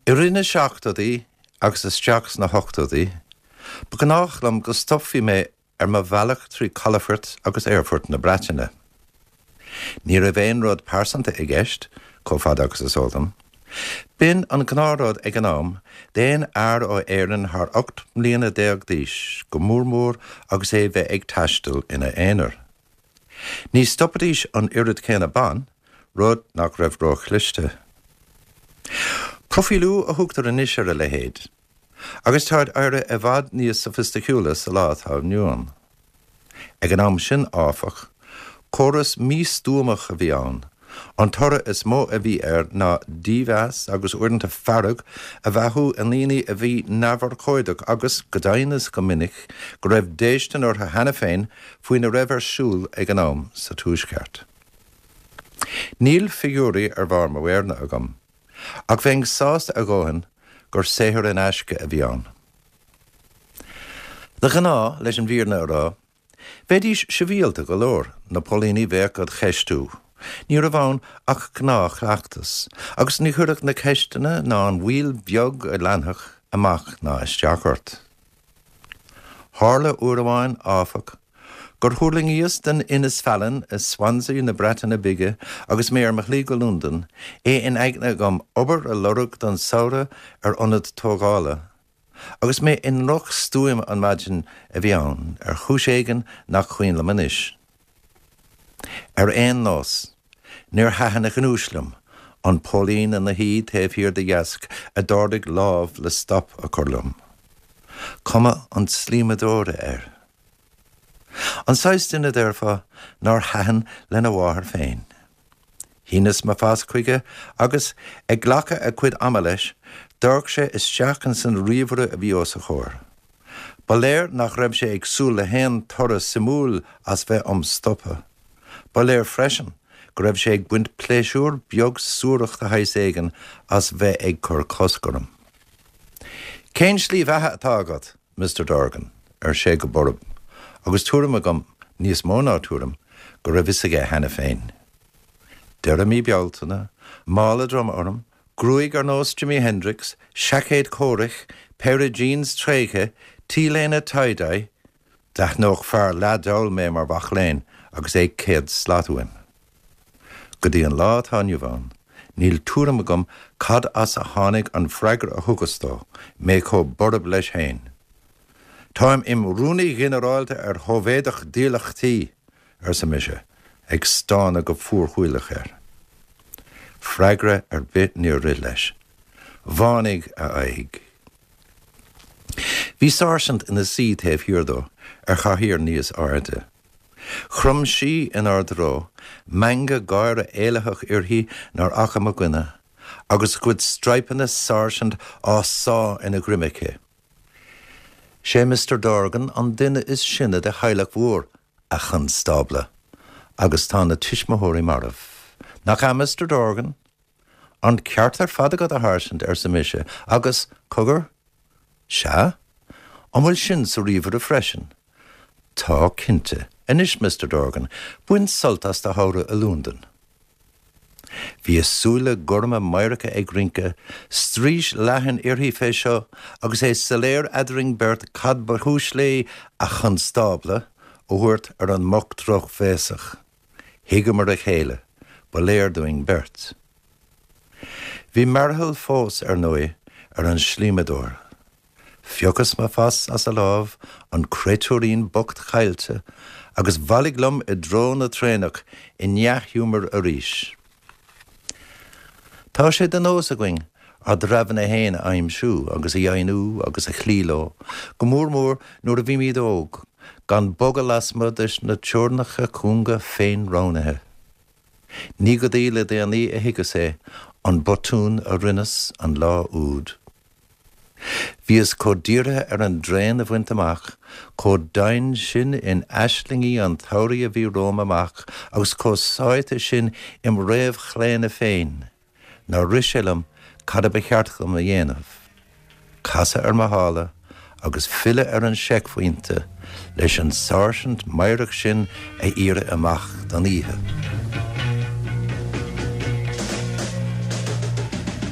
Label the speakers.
Speaker 1: I rith na seachtóidí agus isteach sna hochtóidí, ba ghnách liom go stopfaí mé ar mo bhealach trí chalafoirt agus aerfoirt na Breataine. Ní raibh aon rud pearsanta i gceist, chomh fada agus is eol dom. B'in an gnáthrud ag an am d'aon fhear ó Éirinn thar 18 mbliana d'aois, go mór mór agus é bheith ag taisteal ina aonar. Ní stopaidís an oiread céanna ban, rud nach raibh róchliste. Proifíliú a thugtar anois ar a leithéid. Agus táid éirithe i bhfad níos sofaisticiúla sa lá atá inniu ann. Ag an am sin, áfach, córas místuamach a bhí ann. An toradh is mó a bhí air ná dímheas agus uaireanta fearg a bheathú i ndaoine a bhí neamhurchóideach agus, go deimhin is go minic, go raibh déistin orthu cheana féin faoina raibh ar siúl ag an am sa Tuaisceart. Níl figiúirí ar bharr mo mhéireanna agam. Ach bheinn sásta a dhóthain gur saothar in aisce a bhí ann. De ghnáth, leis an bhfírinne a rá, bheidís sibhialta go leor, na póilíní bheadh a'd cheistiú. Ní raibh ann ach gnáthchleachtas, agus ní chuirfeadh na ceisteanna ná an mhoill bheag a leanfadh amach ná isteach ort. Tharla uair amháin, áfach, gur thuirlingíos den Innisfallen i Swansea na Breataine Bige agus mé ar mo shlí go Londain, é in aigne agam obair a lorg don samhradh ar ionad tógála. Agus mé i ndrochstuaim an mhaidin a bhí ann, ar chúis éigin nach cuimhin liom anois. Ar aon nós, níor thaitin a ghnúis liom, an póilín ina shuí taobh thiar de dheasc a d'ardaigh lámh le stop a chur liom. Cuma an tslíomadóra air. An saghas duine, déarfá, nár thaitin lena mháthair féin. Shíneas mo phas chuige agus, ag glacadh a chuid ama leis, d'amharc sé isteach ins an ríomhaire a bhí os a chomhair. Ba léir nach raibh sé ag súil le haon toradh suimiúil as bheith 'om stopadh. Ba léir freisin go raibh sé ag baint pléisiúr beag suarach de shaghas éigin as bheith ag cur cosc orm. Cén slí bheatha atá agat, Mister Dorgan? ar sé go borb, agus tuairim agam, níos mó ná tuairim, go raibh fhios aige cheana féin. Deireadh mí Bealtaine, mála droma orm, gruaig ar nós Jimi Hendrix, seaicéad comhraic, péire jeans tréigthe, t-léine tie-dye, d'aithneodh fear leath-dall mé mar mhac léinn agus é 100 slat uaim. Go dtí an lá atá inniu ann, níl tuairim agam cad as a tháinig an freagra a thugas dó, mé chomh borb leis féin. Táim im rúnaí ghinearálta ar Shóivéadach Dílleachtaí! arsa mise, ag stánadh go fuarshúileach air. Freagra ar bith níor rith leis. Bhánaigh a aghaidh. Bhí sáirsint ina suí taobh thiar dó, ar chathaoir níos airde. Chrom sí inár dtreo, meangadh gáire éalaitheach uirthi nár fhaca mo dhuine, agus a cuid straidhpeanna sáirsint á sá ina droim aici. 'Sé Mister Dorgan an duine is sine de theaghlach mhór, a chonstábla, agus tá na tuismitheoirí marbh. Nach ea, Mister Dorgan? An ceart ar fad agat, a sháirsint, arsa mise, agus, cogar, sea? An bhfuil sin sa ríomhaire freisin? Tá, cinnte. Anois, Mister Dorgan, bain sult as do shamhradh i Londain. Bhí a súile gorma meidhreacha ag rince, straois leathan uirthi fé seo agus é soiléir eadrainn beirt cad ba chúis léi 'a chonstábla' a thabhairt ar an mboc drochbhéasach. Thuigeamar a chéile, ba léir dúinn beirt. Bhí mearbhall fós, ar ndóigh, ar an slíomadóir. Phiocas mo phas as a lámh, an créatúirín bocht caillte, agus bhailigh liom i dtreo na traenach i ndea-ghiúmar arís. Tá sé de nós againn ár dtreabhanna fhéin a aimsiú agus a dheimhniú agus a chloí leo, go mór mór nuair a bhímid óg, gan bogadh lasmuigh de na teorainneacha cúnga féin-roghnaithe. Ní go dtí le déanaí a thuigeas é, an botún a rinneas an lá úd. Bhíos chomh dírithe ar an dtraein a bhaint amach, chomh domhain sin in aislingí an tsamhraidh a bhí romham amach agus chomh sáite sin im réamhchlaonadh féin, nár rith sé liom cad a ba cheart dom a dhéanamh, casadh ar mo shála agus filleadh ar an seicphointe leis an sáirsint meidhreach sin a iarraidh amach don oíche.